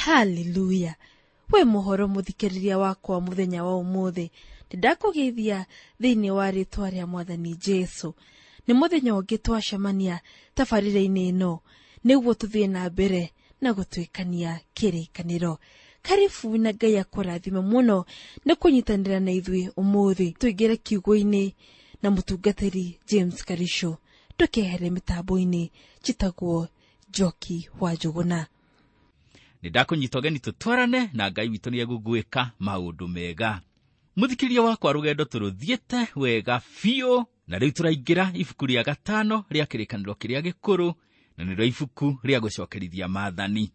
Haleluya! We mũhoro mũthikĩrĩria wakwa mũthenya wa ũmũthĩ, nĩndakũgeithia thĩinĩ wa rĩtwa rĩa Mwathani Jesu. Nĩ mũthenya ũngĩ twacemania tabarĩra-inĩ ĩno nĩguo tũthiĩ na mbere na gũtuĩkania kĩrĩkanĩro. Karibu na Ngai akũrathime mũno nĩ kũnyitanĩra na ithuĩ ũmũthĩ. Tũingĩre kiugo-inĩ na mũtungatĩri James Karisho. Ndũkehere mĩtambo-inĩ, njĩtagwo Njoki wa Njũgũna. Nĩ ndakũnyita ũgeni tũtwarane na Ngai witũ nĩ egũgwĩka maũndũ mega. Mũthikĩria wakwa, rũgendo tũrũthiĩte wega biũ, na rĩu tũraingĩra ibuku rĩa gatano rĩa kĩrĩkanĩro kĩrĩa gĩkũrũ, na nĩrĩo ibuku rĩa gũcokerithia maathani.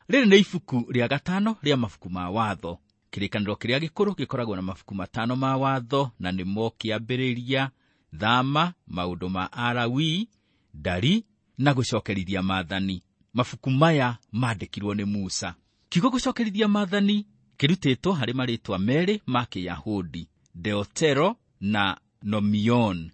Rĩrĩ nĩ ibuku rĩa gatano rĩa mabuku ma watho. Kĩrĩkanĩro kĩrĩa gĩkũrũ gĩkoragwo na mabuku matano ma watho, na nĩmo Kĩambĩrĩria, Thama, Maũndũ ma Alawii, Ndari na gũcokerithia maathani. Mabuku maya mandĩkirwo nĩ Musa. Kiugo gũcokerithia maathani kĩrutĩtwo harĩ marĩtwa merĩ ma Kĩyahudi, Deotero na Nomion.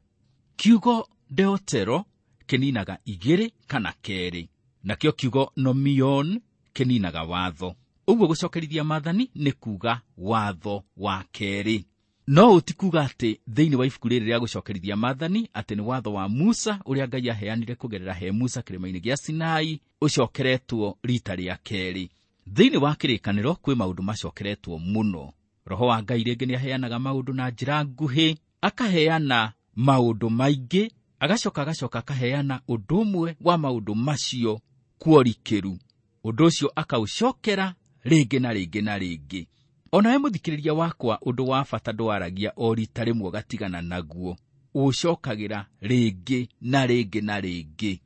Kiugo Deotero kĩninaga igĩrĩ kana kerĩ, nakĩo kiugo Nomion kĩninaga watho. Ũguo gũcokerithia maathani nĩ kuga watho wa kerĩ. No ũti kuga atĩ thĩinĩ wa ibuku rĩrĩ rĩa gũcokerithia maathani atĩ nĩ watho wa Musa ũrĩa Ngai aheanire kũgerera he Musa kĩrĩma-inĩ gĩa Sinai ũcokeretwo rita rĩa kerĩ. Thĩinĩ wa kĩrĩkanĩro kwĩ maũndũ macokeretwo mũno. Roho wa Ngai rĩngĩ nĩ aheanaga maũndũ na njĩra nguhĩ, akaheana maũndũ maingĩ, agacoka akaheana ũndũ ũmwe wa maũndũ macio kworikĩru. Ũndũ ũcio akaũcokera rĩngĩ na rĩngĩ na rĩngĩ. Onawe mũthikĩrĩria wakwa, ũndũ wa bata ndwaragia o rita rĩmwe ũgatigana naguo, ũcokagĩra rĩngĩ na rĩngĩ na rĩngĩ.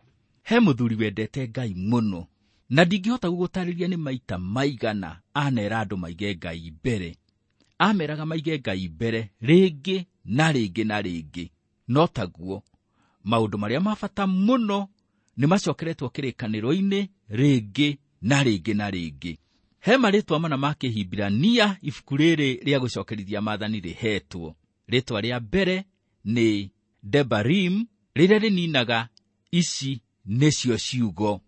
He mũthuri wendete Ngai mũno, na ndingĩhota gũgũtarĩria nĩ maita maigana anera andũ maige Ngai mbere. Ameraga maige Ngai mbere rĩngĩ na rĩngĩ na rĩngĩ. No taguo maũndũ marĩa ma bata mũno nĩ macokeretwo kĩrĩkanĩro-inĩ rĩngĩ na rĩngĩ na rĩngĩ. He marĩtwa mana ma Kĩhibirania ibuku rĩrĩ rĩa gũcokerithia maathani rĩhetwo. Rĩtwa rĩa mbere nĩ Debarim, rĩrĩa rĩninaga ici nĩcio ciugo.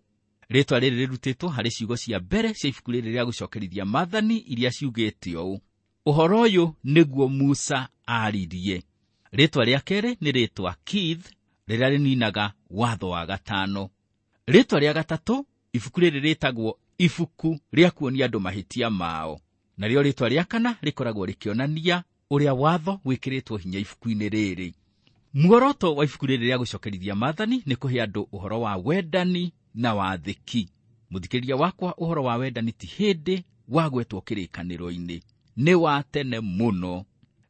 Rĩtwa rĩrĩ rĩrutĩtwo harĩ ciugo cia mbere cia ibuku rĩrĩ rĩa gũcokerithia maathani iria ciugĩte ũũ: ũhoro ũyũ nĩguo Musa aaririe. Rĩtwa rĩa kerĩ nĩ rĩtwa Keith, rĩrĩa rĩninaga watho wa gatano. Rĩtwa rĩa gatatũ, ibuku rĩrĩ rĩtagwo ibuku rĩa kuonia andũ mahĩtia mao. Narĩo rĩtwa rĩa kana rĩkoragwo rĩkĩonania ũrĩa watho wĩkĩrĩtwo hinya ibuku-inĩ rĩrĩ. Muoroto wa ibuku rĩrĩ rĩa gũcokerithia maathani nĩ kũhe andũ ũhoro wa wendani na wathĩki. Mũthikĩrĩria wakwa, ũhoro wa wendani ti hĩndĩ wagwetwo kĩrĩkanĩro-inĩ, nĩ wa tene mũno.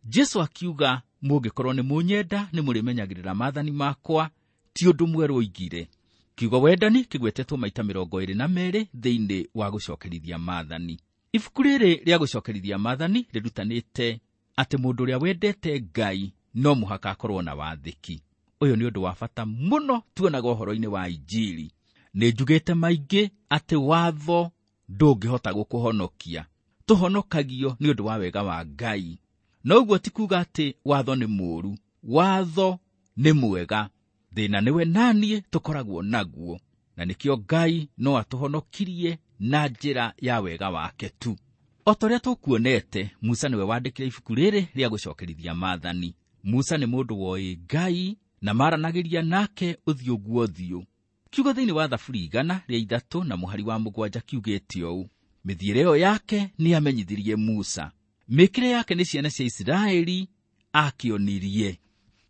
Jesu akiuga, mũngĩkorwo nĩ mũnyenda nĩ mũrĩmenyagĩrĩra maathani makwa, ti ũndũ mwerũ oigire. Kiugo wendani kĩgwetetwo maita 22 thĩinĩ wa gũcokerithia maathani. Ibuku rĩrĩ rĩa gũcokerithia maathani rĩrutanĩte atĩ mũndũ ũrĩa wendete Ngai no mũhaka akorwo na wathĩki. Ũyũ nĩ ũndũ wa bata mũno tuonaga ũhoro-inĩ wa Injiri. Nĩ njugĩte maingĩ atĩ watho ndũngĩhota gũkũhonokia. Tũhonokagio nĩ ũndũ wa wega wa Ngai. No ũguo ti kuga atĩ watho nĩ mũũru. Watho nĩ mwega. Thĩna nĩwe naniĩ tũkoragwo naguo, na nĩkĩo Ngai no atũhonokirie na njĩra ya wega wake tu. O ta ũrĩa tũkuonete, Musa nĩwe wandĩkire ibuku rĩrĩ rĩa gũcokerithia maathani. Musa nĩ mũndũ woĩ Ngai na maranagĩria nake ũthiũ guo ũthiũ. Kiugo thĩinĩ wa Thaburi 103 na mũhari wa 7 kiugĩte ũũ: mĩthiĩre ĩyo yake nĩamenyithirie Musa, mĩkĩre yake nĩ ciana cia Isiraeli akĩonirie.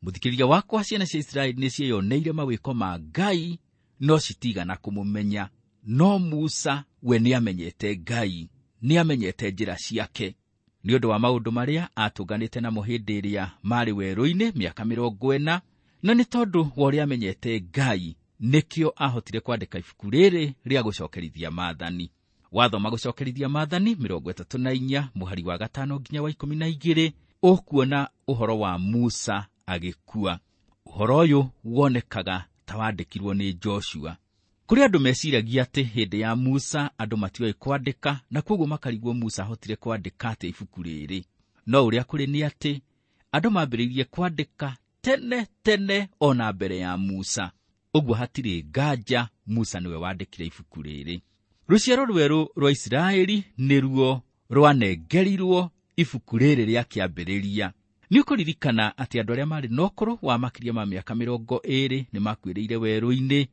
Mũthikĩrĩria wakwa, ciana cia Isiraeli nĩcieyoneire mawĩko ma Ngai, no citigana kũmũmenya. No Musa we nĩamenyete Ngai, nĩamenyete njĩra ciake. Nĩ ũndũ wa maũndũ marĩa atũnganĩte namo hĩndĩ ĩrĩa marĩ werũ-inĩ mĩaka 40, na nĩ tondũ wa ũrĩa amenyete Ngai, nĩkĩo ahotire kwandĩka ibuku rĩrĩ rĩa gũcokerithia maathani. Wathoma gũcokerithia maathani 34 mũhari wa 5 nginya wa 12, ũkuona ũhoro wa Musa agĩkua. Ũhoro ũyũ wonekaga ta wandĩkirwo nĩ Joshua. Kũrĩ andũ meciragia atĩ hĩndĩ ya Musa andũ matioĩ kwandĩka, na kwoguo makarigwo Musa ahotire kwandĩka atĩa ibuku rĩrĩ. No ũrĩa kũrĩ nĩ atĩ andũ mambĩrĩirie kwandĩka tene tene ona mbere ya Musa. Ũguo hatirĩ nganja Musa nĩwe wandĩkire ibuku rĩrĩ. Rũciaro rwerũ rwa Isiraeli nĩruo rwanengerirwo ibuku rĩrĩ rĩa kĩambĩrĩria. Nĩ ũkũririkana atĩ andũ arĩa marĩ na ũkũrũ wa makĩria ma mĩaka 20 nĩ makuĩrĩire werũ-inĩ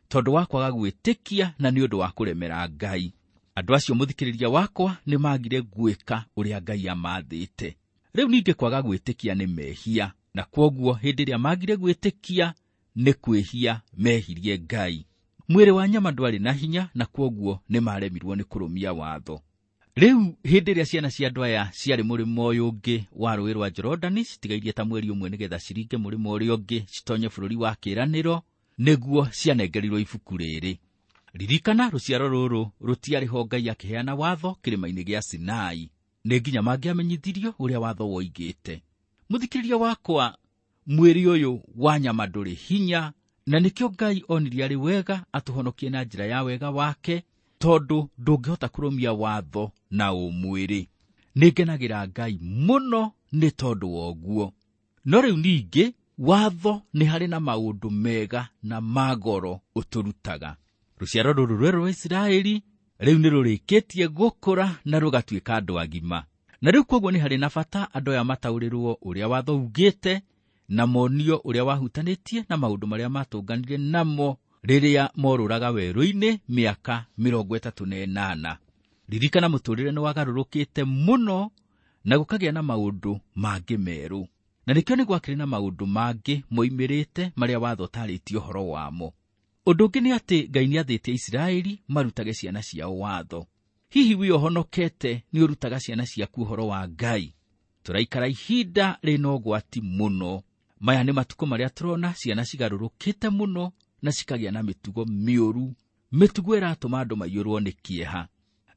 tondũ wa kwaga gwĩtĩkia na nĩ ũndũ wa kũremera Ngai. Andũ acio mũthikĩrĩria wakwa nĩ magire gwĩka ũrĩa Ngai amathĩte. Rĩu ningĩ kwaga gwĩtĩkia nĩ mehia, na kwoguo hĩndĩ ĩrĩa magire gwĩtĩkia nĩ kwĩhia mehirie Ngai. Mwĩrĩ wa nyama ndwarĩ na hinya na kwoguo nĩ maremirwo nĩ kũrũmia watho. Rĩu hĩndĩ ĩrĩa ciana cia andũ aya ciarĩ mũrĩmo ũyũ ũngĩ wa rũũĩ rwa Jorodani citigairie ta mweri ũmwe nĩgetha ciringe mũrĩmo ũrĩa ũngĩ citonye bũrũri wa kĩĩranĩro, nĩguo cianengerirwo ibuku rĩrĩ. Ririkana rũciaro rũrũ rũtiarĩ ho Ngai akĩheana watho kĩrĩma-inĩ gĩa Sinai. Nĩ nginya mangĩamenyithirio ũrĩa watho woigĩte. Mũthikĩrĩria wakwa, mwĩrĩ ũyũ wa nyama ndũrĩ hinya, na nĩkĩo Ngai onirie arĩ wega atũhonokie na njĩra ya wega wake, tondũ ndũngĩhota kũrũmia watho na ũmwĩrĩ. Nĩngenagĩra Ngai mũno nĩ tondũ wa ũguo. No rĩu ningĩ watho nĩ harĩ na maũndũ mega na ma goro ũtũrutaga. Rũciaro rũrũ rwerũ rwa Isiraeli rĩu nĩ rũrĩkĩtie gũkũra na rũgatuĩka andũ agima. Na rĩu kwoguo nĩ harĩ na bata andũ aya mataũrĩrwo ũrĩa watho ugĩte na monio ũrĩa wahutanĩtie na maũndũ marĩa matũnganire namo rĩrĩa morũraga werũ-inĩ mĩaka 38. Ririkana mũtũrĩre nĩ wagarũrũkĩte mũno na gũkagĩa na maũndũ mangĩ merũ. Na nĩkĩo nĩ gwakĩrĩ na maũndũ mangĩ moimĩrĩte marĩa watho ũtarĩtie ũhoro wamo. Ũndũ ũngĩ nĩ atĩ Ngai nĩathĩte Isiraeli marutage ciana ciao watho. Hihi wĩ ũhonokete nĩ ũrutaga ciana ciaku ũhoro wa Ngai? Tũraikara ihinda rĩna ũgwati mũno. Maya nĩ matukũ marĩa tũrona ciana cigarũrũkĩte mũno na cikagĩa na mĩtugo mĩũru, mĩtugo ĩratũma andũ maiyũrwo nĩ kĩeha.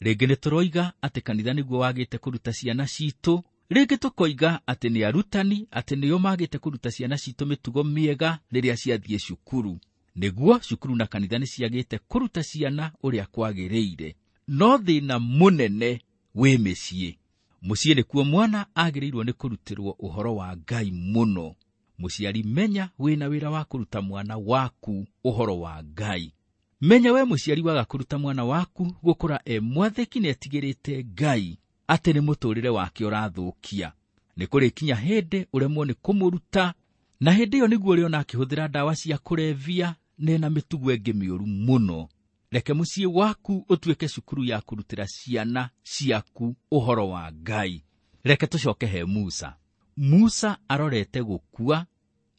Rĩngĩ nĩ tũroiga atĩ kanitha nĩguo wagĩte kũruta ciana citũ, rĩngĩ tũkoiga atĩ nĩ arutani atĩ nĩo magĩte kũruta ciana citũ mĩtugo mĩega rĩrĩa ciathiĩ cukuru. Nĩguo cukuru na kanitha nĩ ciagĩte kũruta ciana ũrĩa kwagĩrĩire. No thĩna mũnene wĩ mĩciĩ. Mũciĩ nĩkuo mwana agĩrĩirwo nĩ kũrutĩrwo ũhoro wa Ngai mũno. Mũciari menya wĩna wĩra wa kũruta mwana waku ũhoro wa Ngai. Menya we mũciari waga kũruta mwana waku gũkũra e mwathĩki na etigĩrĩte Ngai atĩ nĩ mũtũrĩre wake ũrathũkia. Nĩ kũrĩkinya hĩndĩ ũremwo nĩ kũmũruta, na hĩndĩ ĩyo nĩguo ũrĩona akĩhũthĩra ndawa cia kũrebia na mĩtugo ĩngĩ mĩũru mũno. Reke mũciĩ waku ũtuĩke cukuru ya kũrutĩra ciana ciaku ũhoro wa Ngai. Reke tũcoke he Musa. Musa arorete gũkua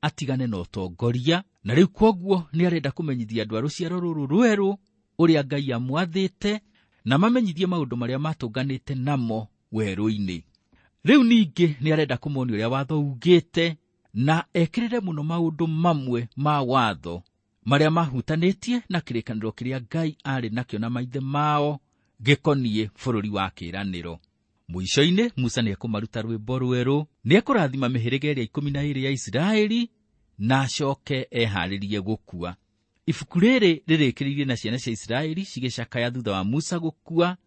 atigane na ũtongoria, na rĩu kwoguo nĩ arenda kũmenyithia andũ a rũciaro rũrũ rwerũ ũrĩa Ngai amwathĩte na mamenyithie maũndũ marĩa matũnganĩte namo werũ-inĩ. Rĩu ningĩ nĩ arenda kũmonia ũrĩa watho ugĩte na ekĩrĩre mũno maũndũ mamwe ma watho marĩa mahutanĩtie na kĩrĩkanĩro kĩrĩa Ngai arĩ nakĩo na maithe mao gĩkoniĩ bũrũri wa kĩĩranĩro. Mũico-inĩ Musa nĩekũmaruta rwĩmbo rwerũ, nĩekũrathima mĩhĩrĩga ĩrĩa 12 ya Isiraeli na acoke eharĩrie gũkua. Ibuku rĩrĩ rĩrĩkĩrĩirie na ciana cia Isiraeli cigĩcakaya thutha wa Musa gũkua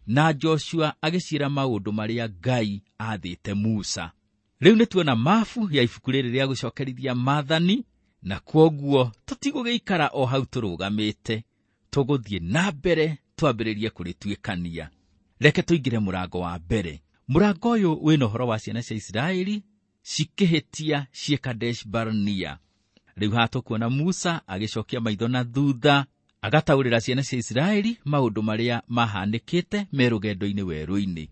na Joshua agĩciĩra maũndũ marĩa Ngai aathĩte Musa. Rĩu nĩ tuona mabu ya ibuku rĩrĩ rĩa gũcokerithia maathani, na kwoguo tũtigũgĩikara o hau tũrũgamĩte, tũgũthiĩ na mbere twambĩrĩrie kũrĩtuĩkania. Reke tũingĩre mũrango wa mbere. Mũrango ũyũ wĩna ũhoro wa ciana cia Isiraeli cikĩhĩtia ciĩ Kadesh Barnea. Rĩu haha tũkuona Musa agĩcokia maitho na thutha, agataũrĩra ciana cia Isiraeli maũndũ marĩa mahanĩkĩte me rũgendo-inĩ werũ-inĩ.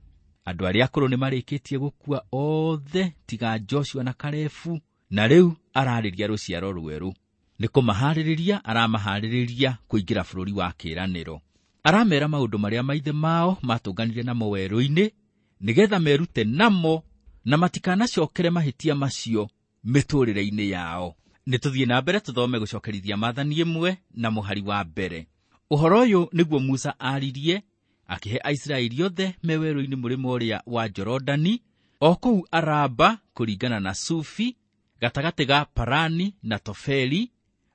Andũ arĩa akũrũ nĩ marĩkĩtie gũkua othe tiga Joshua na Kalebu, na rĩu ararĩria rũciaro rwerũ. Nĩ kũmaharĩrĩria aramaharĩrĩria kũingĩra bũrũri wa kĩĩranĩro. Aramera maũndũ marĩa maithe mao matũnganire namo werũ-inĩ nĩgetha merute namo na matikanacokere mahĩtia macio mĩtũrĩre-inĩ yao. Nĩ tũthiĩ na mbere tũthome gũcokerithia maathani ĩmwe na mũhari wa mbere. Ũhoro ũyũ nĩguo Musa aririe akĩhe Aisiraeli othe me werũ-inĩ mũrĩmo ũrĩa wa Jorodani, o kũu Araba kũringana na Sufi, gatagatĩ ga Parani na Tofeli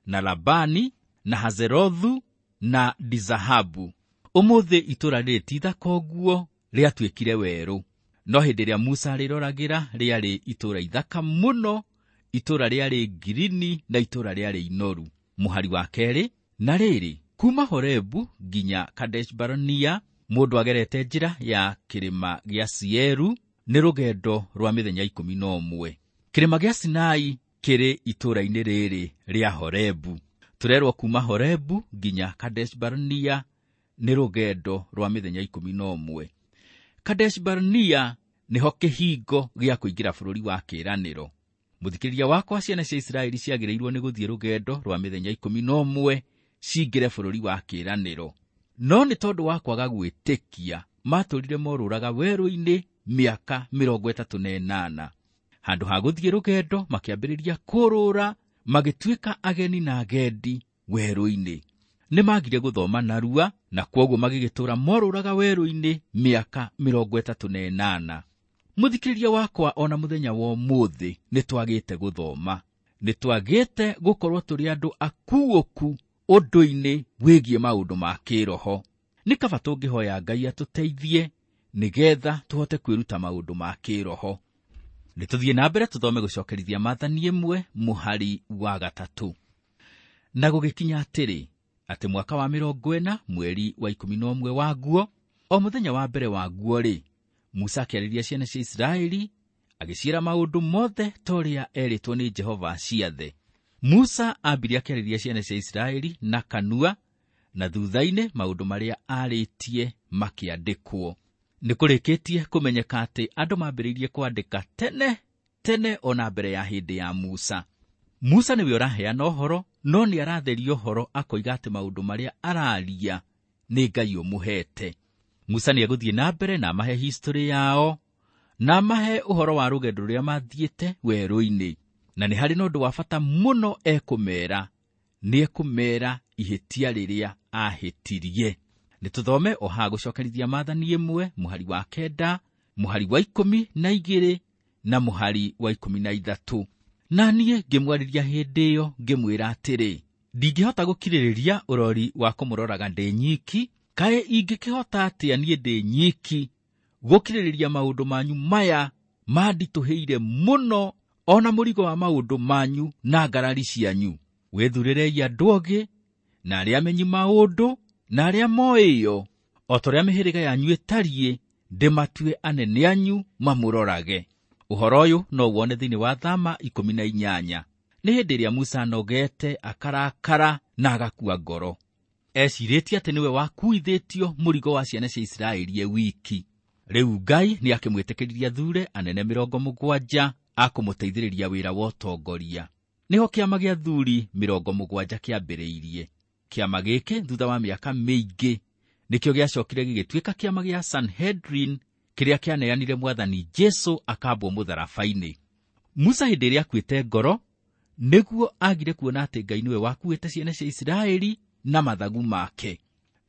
na Labani na Hazerothu na Dizahabu. Ũmũthĩ itũũra rĩrĩ ti ithaka ũguo, rĩatuĩkire werũ. No hĩndĩ ĩrĩa Musa arĩroragĩra rĩarĩ itũũra ithaka mũno, itũũra rĩarĩ ngirini na itũũra rĩarĩ inoru. Mũhari wa kerĩ, na rĩrĩ Kuma Horebu nginya Kadesh Barnea mũndũ agerete njĩra ya kĩrĩma gĩa Sieru nĩ rũgendo rwa mĩthenya 11. Kĩrĩma gĩa Sinai kĩrĩ itũũra-inĩ rĩrĩ rĩa Horebu. Tũrerwo kuma Horebu nginya Kadesh Barnea nĩ rũgendo rwa mĩthenya 11. Kadesh Barnea nĩho kĩhingo gĩa kũingĩra bũrũri wa kĩĩranĩro. Mũthikĩrĩria wakwa, ciana cia Isiraeli ciagĩrĩirwo nĩ gũthiĩ rũgendo rwa mĩthenya 11 cingĩre bũrũri wa kĩĩranĩro. No nĩ tondũ wa kwaga gwĩtĩkia matũũrire morũraga werũ-inĩ mĩaka 38. Handũ ha gũthiĩ rũgendo makĩambĩrĩria kũrũra, magĩtuĩka ageni na agendi werũ-inĩ. Nĩ magire gũthoma narua na kwoguo magĩgĩtũũra morũraga werũ-inĩ mĩaka 38. Mũthikĩrĩria wakwa, ona mũthenya wa ũmũthĩ nĩ twagĩte gũthoma, nĩ twagĩte gũkorwo tũrĩ andũ akuũku ũndũ-inĩ wĩgiĩ maũndũ ma kĩroho. Nĩ kaba tũngĩhoya Ngai atũteithie nĩgetha tũhote kwĩruta maũndũ ma kĩroho. Nĩ tũthiĩ na mbere tũthome gũcokerithia Maathani 1 mũhari wa 3. Na gũgĩkinya atĩrĩ, atĩ mwaka wa 40 mweri wa 11 waguo, o mũthenya wa mbere waguo-rĩ, Musa akĩarĩria ciana cia Isiraeli agĩciĩra maũndũ mothe ta ũrĩa erĩtwo nĩ Jehova ciathe. Musa ambire akĩarĩria ciana cia Isiraeli na kanua, na thutha-inĩ maũndũ marĩa arĩtie makĩandĩkwo. Nĩ kũrĩkĩtie kũmenyeka atĩ andũ mambĩrĩirie kwandĩka tene tene ona mbere ya hĩndĩ ya Musa. Musa nĩwe ũraheana ũhoro, no nĩ aratheria ũhoro akoiga atĩ maũndũ marĩa araria nĩ Ngai ũmũhete. Musa nĩ egũthiĩ na mbere na amahe history yao, na amahe ũhoro wa rũgendo rũrĩa mathiĩte werũ-inĩ. Na nĩ harĩ na ũndũ wa bata mũno ekũmera, nĩ ekũmera ihĩtia rĩrĩa ahĩtirie. Nĩ tũthome o haha gũcokerithia Maathani 1 mũhari wa 9, mũhari wa 12 na mũhari wa 13. Na niĩ ngĩmwarĩria hĩndĩ ĩyo ngĩmwĩra atĩrĩ, ndingĩhota gũkirĩrĩria ũrori wa kũmũroraga ndĩ nyiki, kaĩ ingĩkĩhota atĩa niĩ ndĩ nyiki gũkirĩrĩria maũndũ manyu maya manditũhĩire mũno, ona mũrigo wa maũndũ manyu na ngarari cianyu. Wĩthurĩrei andũ ogĩ na arĩa amenyi maũndũ na arĩa moĩyo, o ta ũrĩa mĩhĩrĩga yanyu ĩtariĩ, ndĩmatue anene anyu mamũrorage. Ũhoro ũyũ no wone thĩinĩ wa Thama 18. Nĩ hĩndĩ ĩrĩa Musa anogete, akarakara na agakua ngoro. Ecirĩtie atĩ nĩwe wakuithĩtio mũrigo wa ciana cia Isiraeli e wiki. Rĩu Ngai nĩ akĩmwĩtĩkĩririe athure anene 70 a kũmũteithĩrĩria wĩra wa ũtongoria. Nĩho kĩama gĩa athuri 70 kĩambĩrĩirie. Kĩama gĩkĩ thutha wa mĩaka mĩingĩ nĩkĩo gĩacokire gĩgĩtuĩka kĩama gĩa Sanhedrin kĩrĩa kĩaneanire Mwathani Jesu akambwo mũtharaba-inĩ. Musa hĩndĩ ĩrĩa akuĩte ngoro nĩguo agire kuona atĩ Ngai nĩwe wakuĩte ciana cia Isiraeli na mathagu make.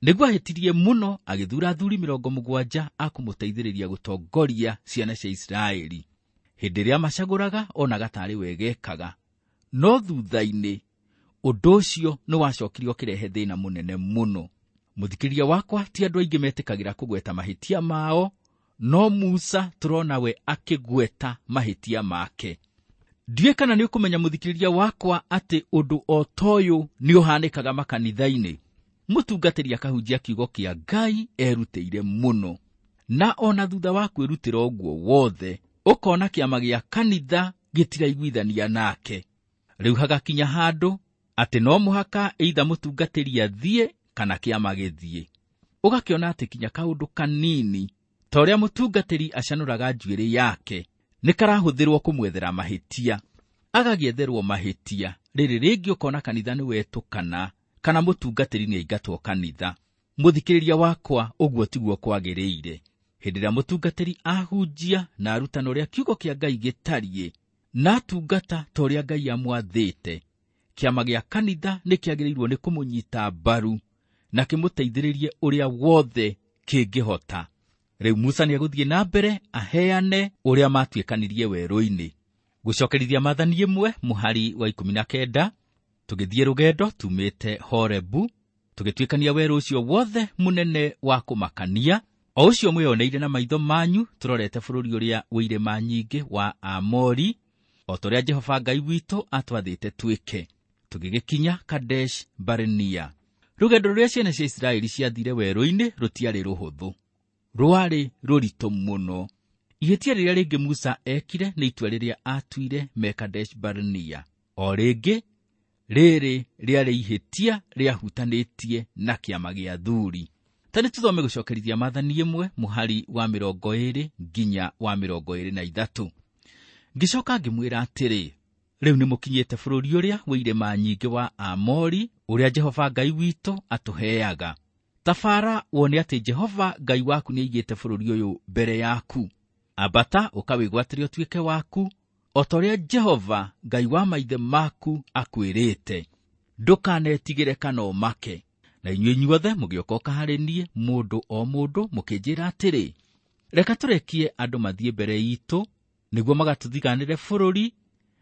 Nĩguo ahĩtirie mũno agĩthura athuri 70 a kũmũteithĩrĩria gũtongoria ciana cia Isiraeli. Hĩndĩ ĩrĩa macagũraga onaga tarĩ wegekaga, no thutha-inĩ ũndũ ũcio nĩ wacokire ũkĩrehe thĩna mũnene mũno. Mũthikĩrĩria wakwa, ti andũ aingĩ metĩkagĩra kũgweta mahĩtia mao, no Musa tũrona we akĩgweta mahĩtia make. Ndiũĩ kana nĩ ũkũmenya mũthikĩrĩria wakwa atĩ ũndũ o ta ũyũ nĩ ũhanĩkaga makanitha-inĩ. Mũtungatĩri akahunjia kiugo kĩa Ngai erutĩire mũno, na ona thutha wa kwĩrutĩra ũguo wothe ũkona kĩama gĩa kanitha gĩtiraiguithania nake. Rĩu hagakinya handũ atĩ no mũhaka either mũtungatĩri athiĩ kana kĩama gĩthiĩ. Ũgakĩona atĩ kinya kaũndũ kanini ta ũrĩa mũtungatĩri acanũraga njuĩrĩ yake nĩ karahũthĩrwo kũmwethera mahĩtia, agagĩetherwo mahĩtia. Rĩrĩ rĩngĩ ũkona kanitha nĩ wetũkana kana mũtungatĩri nĩ aingatwo kanitha. Mũthikĩrĩria wakwa, ũguo tiguo kwagĩrĩire. Hĩndĩ ĩrĩa mũtungatĩri ahunjia na arutana ũrĩa kiugo kĩa Ngai gĩtariĩ na atungata ta ũrĩa Ngai amwathĩte, kĩama gĩa kanitha nĩ kĩagĩrĩirwo nĩ kũmũnyita mbaru na kĩmũteithĩrĩrie ũrĩa wothe kĩngĩhota. Rĩu Musa nĩ egũthiĩ na mbere aheane ũrĩa matuĩkanirie werũ-inĩ. Gũcokerithia Maathani 1 mũhari wa 19, tũgĩthiĩ rũgendo tumĩte Horebu, tũgĩtuĩkania werũ ũcio wothe mũnene wa kũmakania, o ũcio mwĩoneire na maitho manyu, tũrorete bũrũri ũrĩa wĩ irĩma nyingĩ wa Aamori, o ta ũrĩa Jehova Ngai witũ atwathĩte twĩke. Tũgĩgĩkinya Kadesh Barnea. Rũgendo rũrĩa ciana cia Isiraeli ciathire werũ-inĩ rũtiarĩ rũhũthũ, rwarĩ rũritũ mũno. Ihĩtia rĩrĩa rĩngĩ Musa ekire nĩ itua rĩrĩa atuire me Kadesh Barnea. O rĩngĩ rĩrĩ rĩarĩ ihĩtia rĩahutanĩtie na kĩama gĩa athuri. Ta nĩ tũthome gũcokerithia Maathani 1 mũhari wa 20 nginya wa 23. Ngĩcoka ngĩmwĩra atĩrĩ, rĩu nĩ mũkinyĩte bũrũri ũrĩa wĩ irĩma nyingĩ wa Aamori, ũrĩa Jehova Ngai witũ atũheaga. Tabara wone atĩ Jehova Ngai waku nĩaigĩte bũrũri ũyũ mbere yaku. Ambata ũkawĩgwatĩre ũtuĩke waku, o ta ũrĩa Jehova Ngai wa maithe maku akwĩrĩte. Ndũkanetigĩre kana ũmake. Na inyuĩ inyuothe mũgĩũka harĩ niĩ, mũndũ o mũndũ, mũkĩnjĩra atĩrĩ, reka tũrekie andũ mathiĩ mbere itũ, nĩguo magatũthiganĩre bũrũri,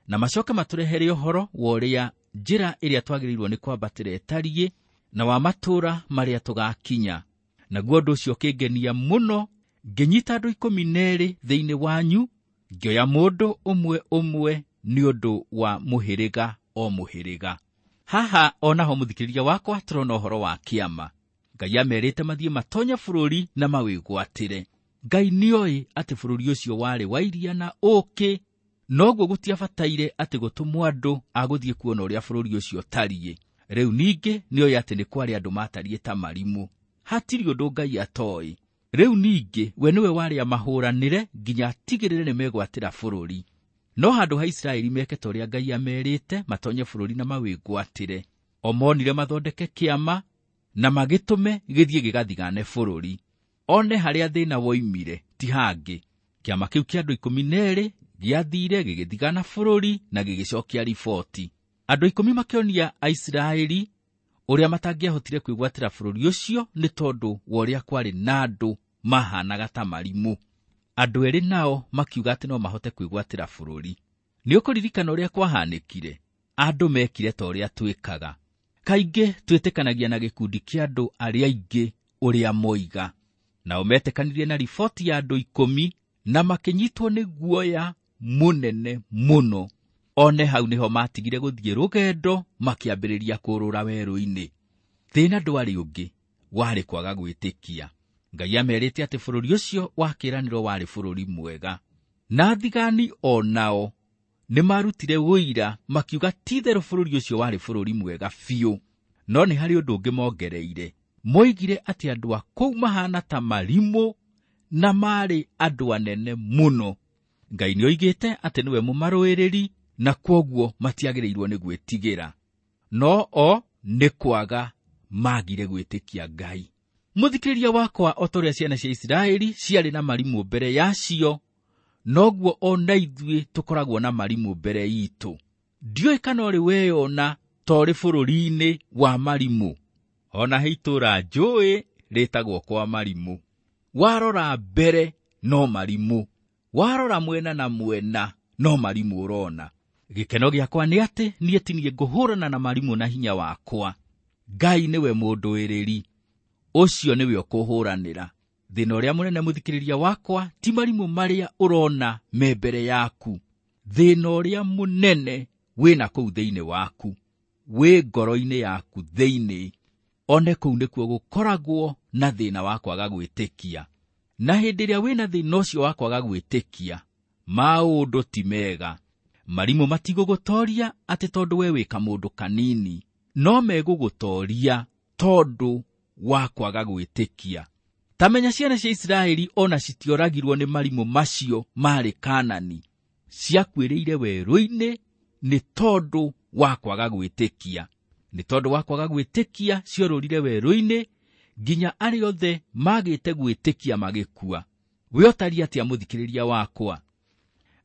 na macoke matũrehere ũhoro wa ũrĩa njĩra ĩrĩa twagĩrĩirwo nĩ kwambatĩra ĩtariĩ, na wa matũũra marĩa tũgakinya. Naguo ũndũ ũcio ũkĩngenia mũno, ngĩnyita andũ 12 thĩinĩ wanyu, ngĩoya mũndũ ũmwe ũmwe nĩ ũndũ wa mũhĩrĩga o mũhĩrĩga. Haha onaho mũthikĩrĩria wakwa tũrona ũhoro wa kĩama. Ngai amerĩte mathiĩ matonye bũrũri na mawĩgwatĩre. Ngai nĩoĩ atĩ bũrũri ũcio warĩ wa iria na ũũkĩ, noguo gũtiabataire atĩ gũtũmwo andũ a gũthiĩ kuona ũrĩa bũrũri ũcio ũtariĩ. Rĩu ningĩ nĩoĩ atĩ nĩ kwarĩ andũ matariĩ ta marimũ. Hatirĩ ũndũ Ngai atoĩ. Rĩu ningĩ we nĩwe warĩ amahũranĩre nginya atigĩrĩre nĩ megwatĩra bũrũri. No handũ ha Isiraeli meke ta ũrĩa Ngai amerĩte matonye bũrũri na mawĩgwatĩre, o monire mathondeke kĩama na magĩtũme gĩthiĩ gĩgathigane bũrũri. One harĩa thĩna woimire ti hangĩ. Kĩama kĩu kĩa andũ 12 gĩathire gĩgĩthigana bũrũri na gĩgĩcokia riboti. Andũ 10 makĩonia Aisiraeli ũrĩa matangĩahotire kwĩgwatĩra bũrũri ũcio nĩ tondũ wa ũrĩa kwarĩ na andũ mahanaga ta marimũ. Andũ erĩ nao makiuga atĩ no mahote kwĩgwatĩra bũrũri. Nĩ ũkũririkana ũrĩa kwahanĩkire? Andũ mekire ta ũrĩa twĩkaga. Kaingĩ twĩtĩkanagia na gĩkundi kĩa andũ arĩa aingĩ ũrĩa moiga. Nao metĩkanirie na riboti ya andũ 10 na makĩnyitwo nĩ guoya mũnene mũno. One hau nĩho matigire gũthiĩ rũgendo makĩambĩrĩria kũrũra werũ-inĩ. Thĩna ndwarĩ ũngĩ, warĩ kwaga gwĩtĩkia. Ngai amerĩte atĩ bũrũri ũcio wa kĩĩranĩro warĩ bũrũri mwega. Na athigani o nao nĩ marutire ũira makiuga ti-itherũ bũrũri ũcio warĩ bũrũri mwega biũ. No nĩ harĩ ũndũ ũngĩ mongereire. Moigire atĩ andũ a kũu mahana ta marimũ na maarĩ andũ anene mũno. Ngai nĩoigĩte atĩ nĩwe mũmarũĩrĩri na kwoguo matiagĩrĩirwo nĩ gwĩtigĩra. No o nĩ kwaga magire gwĩtĩkia Ngai. Mũthikĩrĩria wakwa, o ta ũrĩa ciana cia Isiraeli ciarĩ na marimũ mbere yacio, noguo o na ithuĩ tũkoragwo na marimũ mbere itũ. Ndiũĩ kana ũrĩ weyona ta ũrĩ bũrũri-inĩ wa marimũ. Ona he itũũra njũĩ rĩtagwo kwa marimũ. Warora mbere no marimũ, warora mwena na mwena no marimũ ũrona. Gĩkeno gĩakwa nĩ atĩ niĩ ti niĩ ngũhũrana na marimũ na hinya wakwa. Ngai nĩwe mũndũĩrĩri, ũcio nĩwe ũkũhũranĩra. Thĩna ũrĩa mũnene mũthikĩrĩria wakwa ti marimũ marĩa ũrona me mbere yaku. Thĩna ũrĩa mũnene wĩna kũu thĩinĩ waku, wĩ ngoro-inĩ yaku thĩinĩ. One kũu nĩkuo gũkoragwo na thĩna wa kwaga gwĩtĩkia. Na hĩndĩ ĩrĩa wĩna thĩna ũcio wa kwaga gwĩtĩkia, maũndũ ti mega. Marimũ matigũgũtoria atĩ tondũ we wĩ kamũndũ kanini, no megũgũtoria tondũ wa kwaga gwĩtĩkia. Ta menya ciana cia Isiraeli ona citioragirwo nĩ marimũ macio marĩ Kaanani, ciakuĩrĩire werũ-inĩ nĩ tondũ wa kwaga gwĩtĩkia. Nĩ tondũ wa kwaga gwĩtĩkia ciorũrire werũ-inĩ nginya arĩa othe magĩte gwĩtĩkia magĩkua. We ũtariĩ atĩa mũthikĩrĩria wakwa?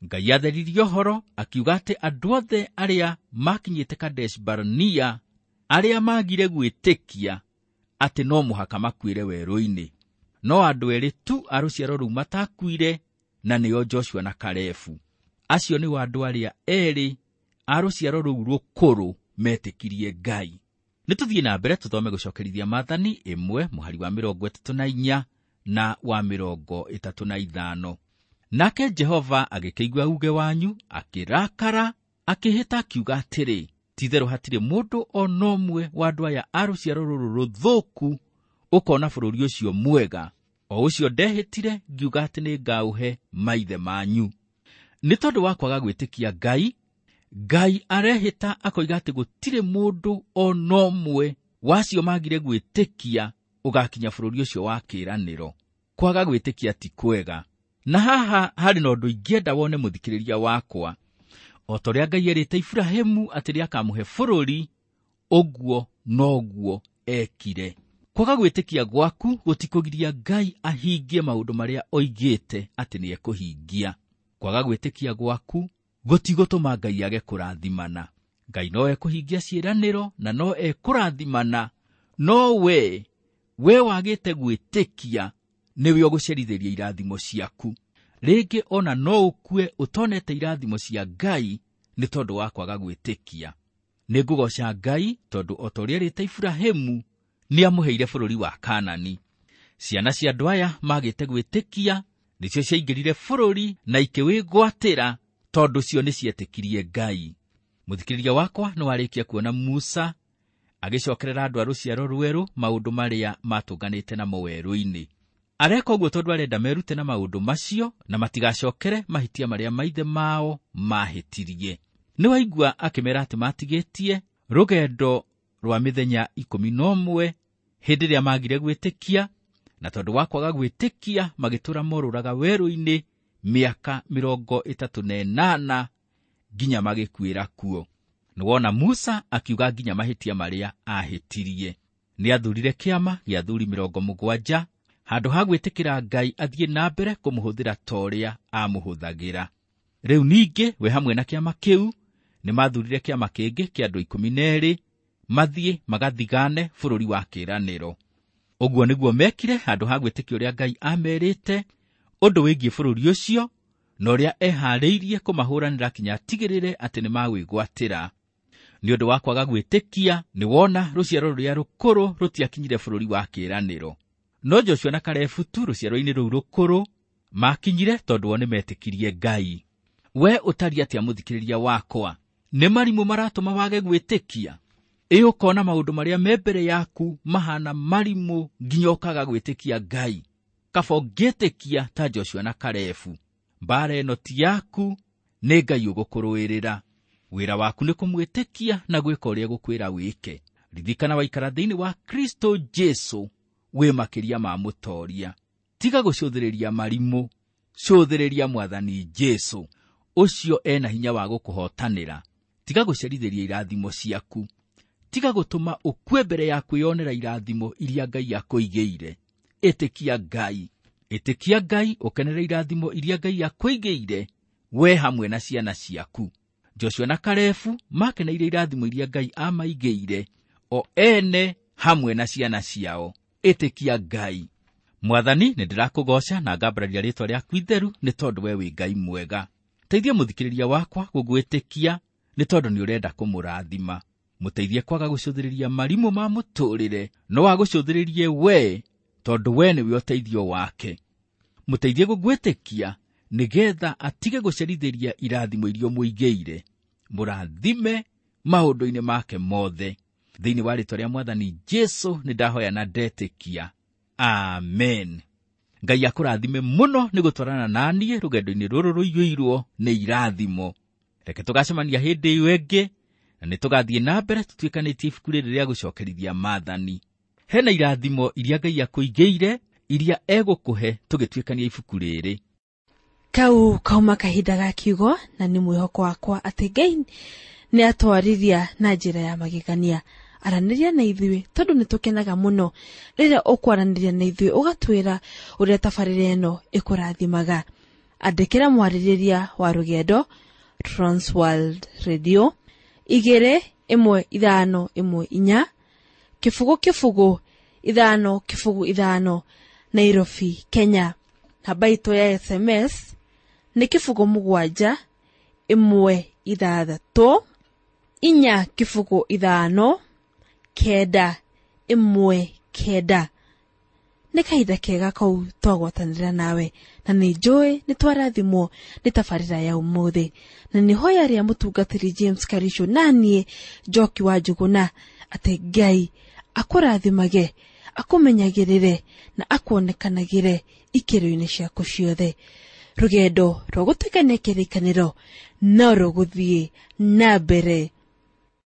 Ngai atheririe ũhoro akiuga atĩ andũ othe arĩa makinyĩte Kadesh Barnea, arĩa magire gwĩtĩkia atĩ no mũhaka makuĩre werũ-inĩ. No andũ erĩ tu a rũciaro rũu matakuire, na nĩo Joshua na Kalebu. Acio nĩo andũ arĩa erĩ a rũciaro rũu rũkũrũ metĩkirie Ngai. Nĩ tũthiĩ na mbere tũthome gũcokerithia Maathani 1 mũhari wa 34 na wa 35. Nake Jehova agĩkĩigua uuge wanyu, akĩrakara, akĩhĩta akiuga atĩrĩ, Ti-itherũ hatirĩ mũndũ o na ũmwe wa andũ aya a rũciaro rũrũ rũthũku ũkona bũrũri ũcio mwega, o ũcio ndehĩtire ngiuga atĩ nĩngaũhe maithe manyu. Nĩ tondũ wa kwaga gwĩtĩkia Ngai, Ngai arehĩta akoiga atĩ gũtirĩ mũndũ o na ũmwe wacio magire gwĩtĩkia ũgakinya bũrũri ũcio wa kĩĩranĩro. Kwaga gwĩtĩkia ti kwega. Na haha harĩ na ũndũ ingĩenda wone mũthikĩrĩria wakwa. O ta ũrĩa Ngai erĩte Iburahĩmu atĩ nĩakamũhe bũrũri, ũguo noguo ekire. Kwaga gwĩtĩkia gwaku gũtikũgiria Ngai ahingie maũndũ marĩa oigĩte atĩ nĩekũhingia. Kwaga gwĩtĩkia gwaku gũtigũtũma Ngai age kũrathimana. Ngai no ekũhingia ciĩranĩro na no ekũrathimana, no we wagĩte gwĩtĩkia nĩwe ũgũcerithĩria irathimo ciaku. Rĩngĩ ona no ũkue ũtonete irathimo cia Ngai nĩ tondũ wa kwaga gwĩtĩkia. Nĩngũgoca Ngai tondũ o ta ũrĩa erĩte Iburahĩmu nĩamũheire bũrũri wa Kaanani. Ciana cia andũ aya magĩte gwĩtĩkia nĩcio ciaingĩrire bũrũri na ikĩwĩgwatĩra tondũ cio nĩcietĩkirie Ngai. Mũthikĩrĩria wakwa nĩwarĩkia kuona Musa agĩcokerera andũ a rũciaro rwerũ maũndũ marĩa matũnganĩte namo werũ-inĩ. Areka ũguo tondũ arenda merute na maũndũ macio na matigacokere mahĩtia marĩa maithe mao mahĩtirie. Nĩwaigua akĩmera atĩ matigĩtie rũgendo rwa mĩthenya 11 hĩndĩ ĩrĩa magire gwĩtĩkia, na tondũ wa kwaga gwĩtĩkia magĩtũra morũraga werũ-inĩ mĩaka 38 nginya magĩkuĩra kuo. Nĩwona Musa akiuga nginya mahĩtia marĩa ahĩtirie. Nĩathurire kĩama gĩa athuri 70 handũ ha gwĩtĩkĩra Ngai athiĩ na mbere kũmũhũthĩra ta ũrĩa amũhũthagĩra. Rĩu ningĩ we hamwe na kĩama kĩu nĩmathurire kĩama kĩngĩ kĩa andũ 12 mathiĩ magathigane bũrũri wa kĩĩranĩro. Ũguo nĩguo mekire handũ ha gwĩtĩkia ũrĩa Ngai amerĩte ũndũ wĩgiĩ bũrũri ũcio na ũrĩa eharĩirie kũmahũranĩra kinya atigĩrĩre atĩ nĩmawĩgwatĩra. Nĩ ũndũ wa kwaga gwĩtĩkia nĩwona rũciaro rũrĩa rũkũrũ rũtiakinyire bũrũri wa kĩĩranĩro. No Joshua na Kalebu tu rũciaro-inĩ rũu rũkũrũ makinyire tondũ o nĩmetĩkirie Ngai. We ũtariĩ atĩa mũthikĩrĩria wakwa? Nĩ marimũ maratũma wage gwĩtĩkia? Ĩ ũkona maũndũ marĩa me mbere yaku mahana marimũ nginya ũkaga gwĩtĩkia Ngai. Kaba ũngĩtĩkia ta Joshua na Kalebu. Mbaara ĩno ti yaku, nĩ Ngai ũgũkũrũĩrĩra. Wĩra waku nĩ kũmwĩtĩkia na gwĩka ũrĩa egũkwĩra wĩke. Ririkana waikara thĩinĩ wa Kristo Jesu wĩ makĩria ma mũtoria. Tiga gũcũthĩrĩria marimũ, cũthĩrĩria Mwathani Jesu ũcio ena hinya wa gũkũhotanĩra. Tiga gũcerithĩria irathimo ciaku. Tiga gũtũma ũkue mbere ya kwĩyonera irathimo iria Ngai akũigĩire. Ĩtĩkia Ngai. Ĩtĩkia Ngai ũkenere irathimo iria Ngai akũigĩire we hamwe na ciana ciaku. Joshua na Kalebu makeneire irathimo iria Ngai amaigĩire o ene hamwe na ciana ciao. Ĩtĩkia Ngai. Mwathani, nĩndĩrakũgoca na ngambararia rĩtwa rĩaku itheru nĩ tondũ we wĩ Ngai mwega. Teithia mũthikĩrĩria wakwa gũgwĩtĩkia nĩ tondũ nĩ ũrenda kũmũrathima. Mũteithie kwaga gũcũthĩrĩria marimũ ma mũtũrĩre, no agũcũthĩrĩrie we tondũ we nĩwe ũteithio wake. Mũteithie gũgwĩtĩkia nĩgetha atige gũcerithĩria irathimo iria ũmũigĩire. Mũrathime maũndũ-inĩ make mothe. Thĩinĩ wa rĩtwa rĩa Mwathani Jesu nĩndahoya na ndetĩkia. Amen. Ngai akũrathime mũno nĩ gũtwarana na niĩ rũgendo-inĩ rũrũ rũiyũirwo nĩ irathimo. Reke tũgacemania hĩndĩ ĩyo ĩngĩ na nĩtũgathiĩ na mbere tũtuĩkanĩtie ibuku rĩrĩ rĩa gũcokerithia maathani. Hena irathimo iria Ngai akũigĩire iria egũkũhe tũgĩtuĩkania ibuku rĩrĩ. Kau kauma kahinda ga kiugo na nĩ mwĩhoko wakwa atĩ Ngai nĩ atwarithia na njĩra ya magegania. Aranĩria na ithuĩ tondũ nĩ tũkenaga mũno rĩrĩa ũkwaranĩria na ithuĩ ũgatwĩra ũrĩa tabarĩra ĩno ĩkũrathimaga. Andĩkĩra mwarĩrĩria wa rũgendo Transworld Radio 2 1 5 1 4 0 0 5 0 5 Nairobi, Kenya. Namba itũ ya SMS nĩ 0 7 1 6 4 0 5 9 1 9. Nĩ kahinda kega kau twagwatanĩra nawe, na nĩ njũĩ nĩ twarathimwo nĩ tabarĩra ya ũmũthĩ, na nĩ hoya rĩa mũtungatĩri James Karisho naniĩ Njoki wa Njũgũna atĩ Ngai akũrathimage, akũmenyagĩrĩre na akuonekanagĩre ikĩro-inĩ ciaku ciothe. Rũgendo rwa gũtuĩkania kĩrĩkanĩro no rũgũthiĩ na mbere.